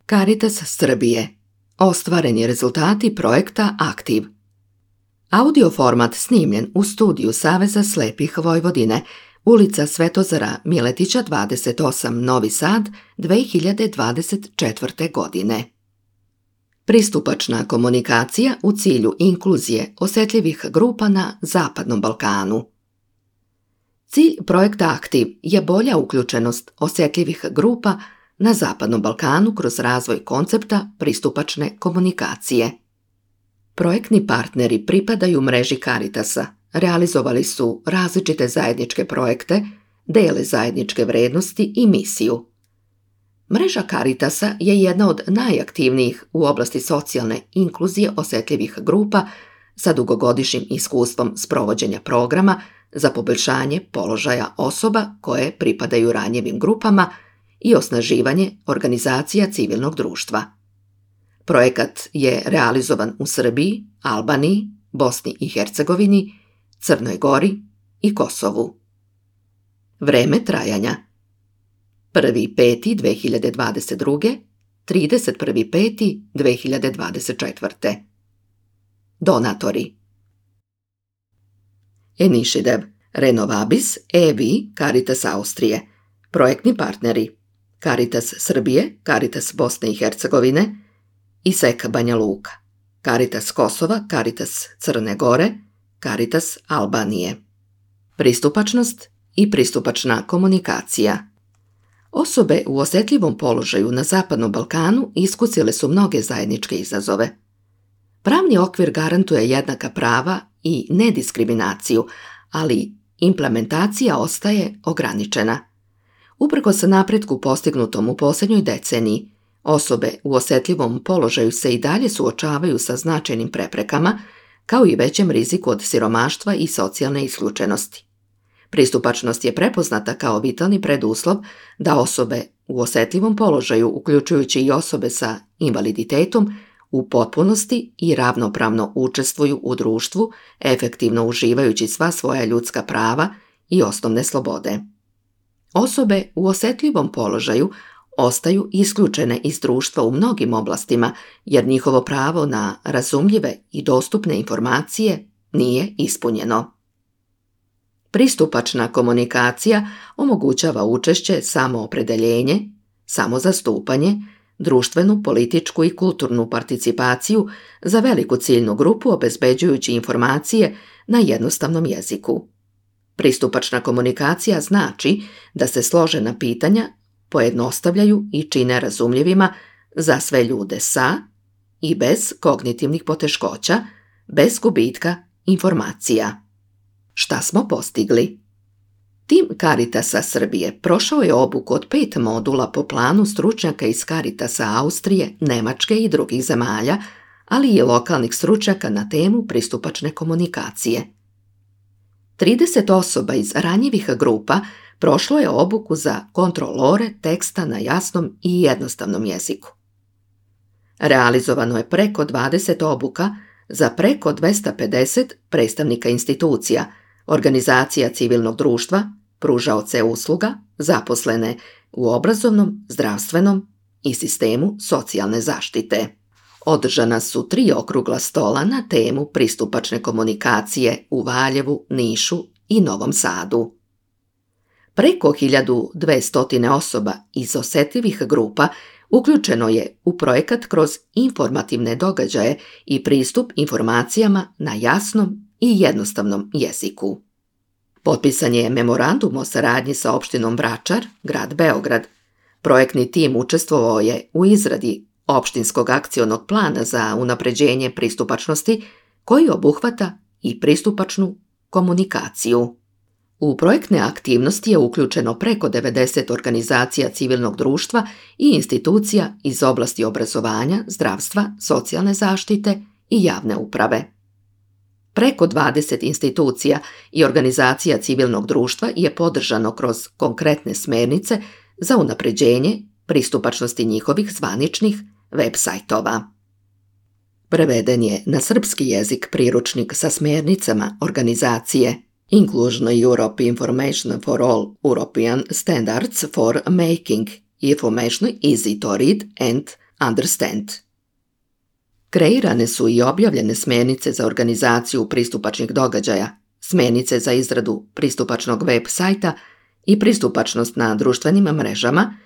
Caritas Srbije. Ostvareni rezultati projekta Aktiv. Audio format snimljen u studiju Saveza slepih Vojvodine, ulica Svetozara Miletića 28, Novi Sad, 2024. godine. Pristupačna komunikacija u cilju inkluzije osetljivih grupa na Zapadnom Balkanu. Cilj projekta Aktiv je bolja uključenost osetljivih grupa na Zapadnom Balkanu kroz razvoj koncepta pristupačne komunikacije. Projektni partneri pripadaju mreži Caritasa, realizovali su različite zajedničke projekte, dele zajedničke vrednosti i misiju. Mreža Caritasa je jedna od najaktivnijih u oblasti socijalne inkluzije osetljivih grupa sa dugogodišnjim iskustvom sprovođenja programa za poboljšanje položaja osoba koje pripadaju ranjivim grupama i osnaživanje organizacija civilnog društva. Projekat je realizovan u Srbiji, Albaniji, Bosni i Hercegovini, Crnoj Gori i Kosovu. Vreme trajanja: 1.5.2022. 31.5.2024. Donatori: Enišidev, Renovabis, EVI, Caritas Austrije. Projektni partneri: Caritas Srbije, Caritas Bosne i Hercegovine, ISEK Banja Luka, Caritas Kosova, Caritas Crne Gore, Caritas Albanije. Pristupačnost i pristupačna komunikacija. Osobe u osetljivom položaju na Zapadnom Balkanu iskusile su mnoge zajedničke izazove. Pravni okvir garantuje jednaka prava i nediskriminaciju, ali implementacija ostaje ograničena. Uprkos napretku postignutom u posljednjoj deceniji, osobe u osetljivom položaju se i dalje suočavaju sa značajnim preprekama, kao i većem riziku od siromaštva i socijalne isključenosti. Pristupačnost je prepoznata kao vitalni preduslov da osobe u osetljivom položaju, uključujući i osobe sa invaliditetom, u potpunosti i ravnopravno učestvuju u društvu, efektivno uživajući sva svoja ljudska prava i osnovne slobode. Osobe u osetljivom položaju ostaju isključene iz društva u mnogim oblastima jer njihovo pravo na razumljive i dostupne informacije nije ispunjeno. Pristupačna komunikacija omogućava učešće, samoopredeljenje, samozastupanje, društvenu, političku i kulturnu participaciju za veliku ciljnu grupu obezbeđujući informacije na jednostavnom jeziku. Pristupačna komunikacija znači da se složena pitanja pojednostavljaju i čine razumljivima za sve ljude sa i bez kognitivnih poteškoća, bez gubitka informacija. Šta smo postigli? Tim Caritasa Srbije prošao je obuku od 5 modula po planu stručnjaka iz Caritasa Austrije, Nemačke i drugih zemalja, ali i lokalnih stručnjaka na temu pristupačne komunikacije. 30 osoba iz ranjivih grupa prošlo je obuku za kontrolore teksta na jasnom i jednostavnom jeziku. Realizovano je preko 20 obuka za preko 250 predstavnika institucija, organizacija civilnog društva, pružaoce usluga, zaposlene u obrazovnom, zdravstvenom i sistemu socijalne zaštite. Održana su 3 okrugla stola na temu pristupačne komunikacije u Valjevu, Nišu i Novom Sadu. Preko 1200 osoba iz osetljivih grupa uključeno je u projekat kroz informativne događaje i pristup informacijama na jasnom i jednostavnom jeziku. Potpisan je memorandum o saradnji sa opštinom Vračar, grad Beograd. Projektni tim učestvovao je u izradi opštinskog akcionog plana za unapređenje pristupačnosti koji obuhvata i pristupačnu komunikaciju. U projektne aktivnosti je uključeno preko 90 organizacija civilnog društva i institucija iz oblasti obrazovanja, zdravstva, socijalne zaštite i javne uprave. Preko 20 institucija i organizacija civilnog društva je podržano kroz konkretne smernice za unapređenje pristupačnosti njihovih zvaničnih web sajtova. Preveden je na srpski jezik priručnik sa smernicama organizacije Inclusion Europe Information for All European Standards for Making Information Easy to Read and Understand. Kreirane su i objavljene smjernice za organizaciju pristupačnih događaja, smjernice za izradu pristupačnog web sajta i pristupačnost na društvenim mrežama,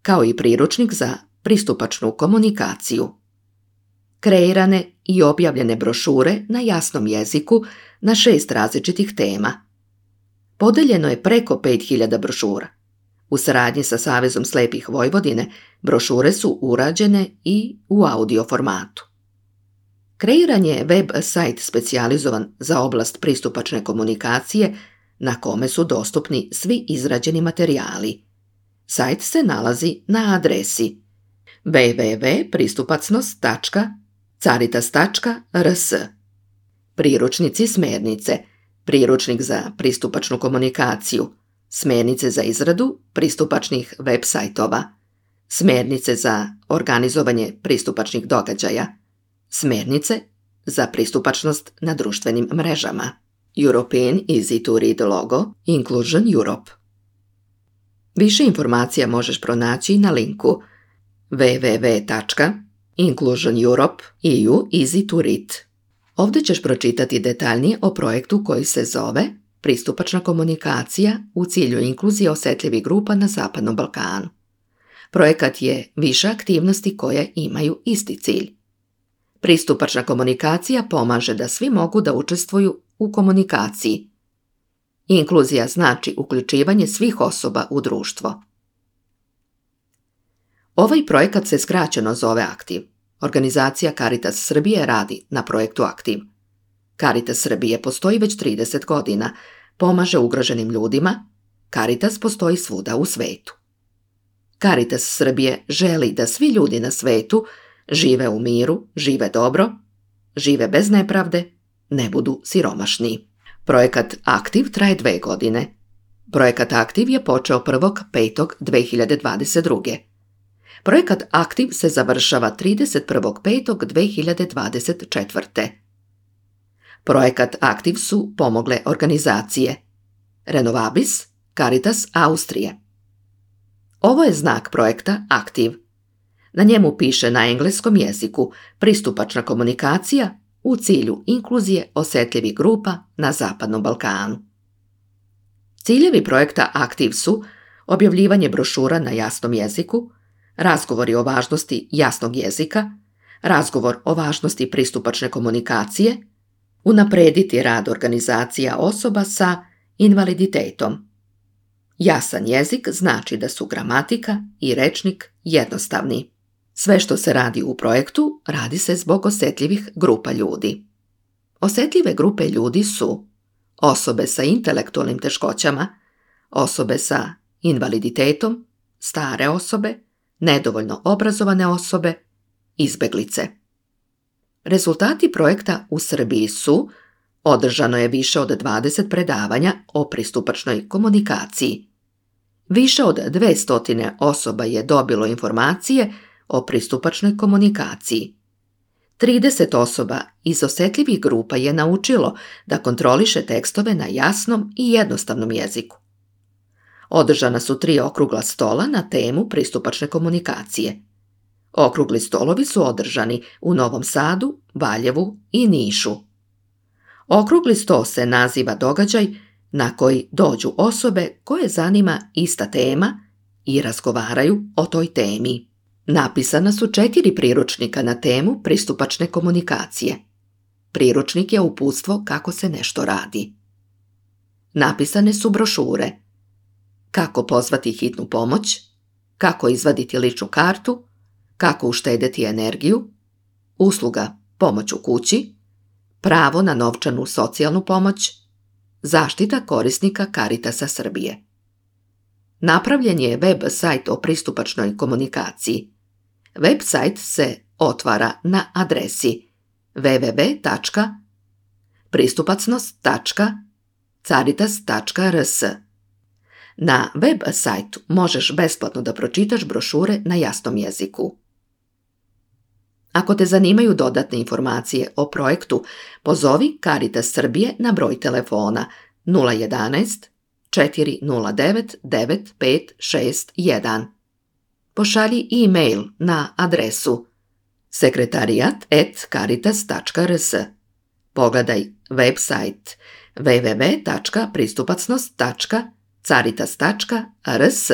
kao i priručnik za pristupačnu komunikaciju. Kreirane i objavljene brošure na jasnom jeziku na 6 različitih tema. Podeljeno je preko 5000 brošura. U saradnji sa Savezom slijepih Vojvodine brošure su urađene i u audio formatu. Kreiran je web sajt specijalizovan za oblast pristupačne komunikacije na kome su dostupni svi izrađeni materijali. Sajt se nalazi na adresi www.pristupacnost.caritas.rs. Priručnici smjernice, priručnik za pristupačnu komunikaciju, smjernice za izradu pristupačnih web sajtova, smjernice za organizovanje pristupačnih događaja, smjernice za pristupačnost na društvenim mrežama. European Easy to Read logo Inclusion Europe. Više informacija možeš pronaći na linku www.inclusioneurope.eu Easy to Read. Ovdje ćeš pročitati detaljnije o projektu koji se zove Pristupačna komunikacija u cilju inkluzije osjetljivih grupa na Zapadnom Balkanu. Projekat je više aktivnosti koje imaju isti cilj. Pristupačna komunikacija pomaže da svi mogu da učestvuju u komunikaciji. Inkluzija znači uključivanje svih osoba u društvo. Ovaj projekat se skraćeno zove Aktiv. Organizacija Caritas Srbije radi na projektu Aktiv. Caritas Srbije postoji već 30 godina, pomaže ugroženim ljudima. Caritas postoji svuda u svetu. Caritas Srbije želi da svi ljudi na svetu žive u miru, žive dobro, žive bez nepravde, ne budu siromašni. Projekat Aktiv traje 2 godine. Projekat Aktiv je počeo 1.5.2022. Projekat Aktiv se završava 31.5.2024. Projekat Aktiv su pomogle organizacije Renovabis, Caritas Austrije. Ovo je znak projekta Aktiv. Na njemu piše na engleskom jeziku pristupačna komunikacija u cilju inkluzije osjetljivih grupa na Zapadnom Balkanu. Ciljevi projekta Aktiv su objavljivanje brošura na jasnom jeziku, razgovori o važnosti jasnog jezika, razgovor o važnosti pristupačne komunikacije, unaprijediti rad organizacija osoba sa invaliditetom. Jasan jezik znači da su gramatika i rečnik jednostavni. Sve što se radi u projektu radi se zbog osjetljivih grupa ljudi. Osjetljive grupe ljudi su osobe sa intelektualnim teškoćama, osobe sa invaliditetom, stare osobe, nedovoljno obrazovane osobe, izbeglice. Rezultati projekta u Srbiji su: održano je više od 20 predavanja o pristupačnoj komunikaciji. Više od 200 osoba je dobilo informacije o pristupačnoj komunikaciji. 30 osoba iz osjetljivih grupa je naučilo da kontroliše tekstove na jasnom i jednostavnom jeziku. Održana su 3 okrugla stola na temu pristupačne komunikacije. Okrugli stolovi su održani u Novom Sadu, Valjevu i Nišu. Okrugli sto se naziva događaj na koji dođu osobe koje zanima ista tema i razgovaraju o toj temi. Napisana su 4 priručnika na temu pristupačne komunikacije. Priručnik je uputstvo kako se nešto radi. Napisane su brošure: kako pozvati hitnu pomoć, kako izvaditi ličnu kartu, kako uštedjeti energiju, usluga pomoć u kući, pravo na novčanu socijalnu pomoć, zaštita korisnika Caritasa Srbije. Napravljen je web sajt o pristupačnoj komunikaciji. Web sajt se otvara na adresi www.pristupacnost.caritas.rs. Na web sajtu možeš besplatno da pročitaš brošure na jasnom jeziku. Ako te zanimaju dodatne informacije o projektu, pozovi Caritas Srbije na broj telefona 011 409 9561. pošalji e-mail na adresu sekretariat@caritas.rs. Pogledaj website www.pristupacnost.caritas.rs.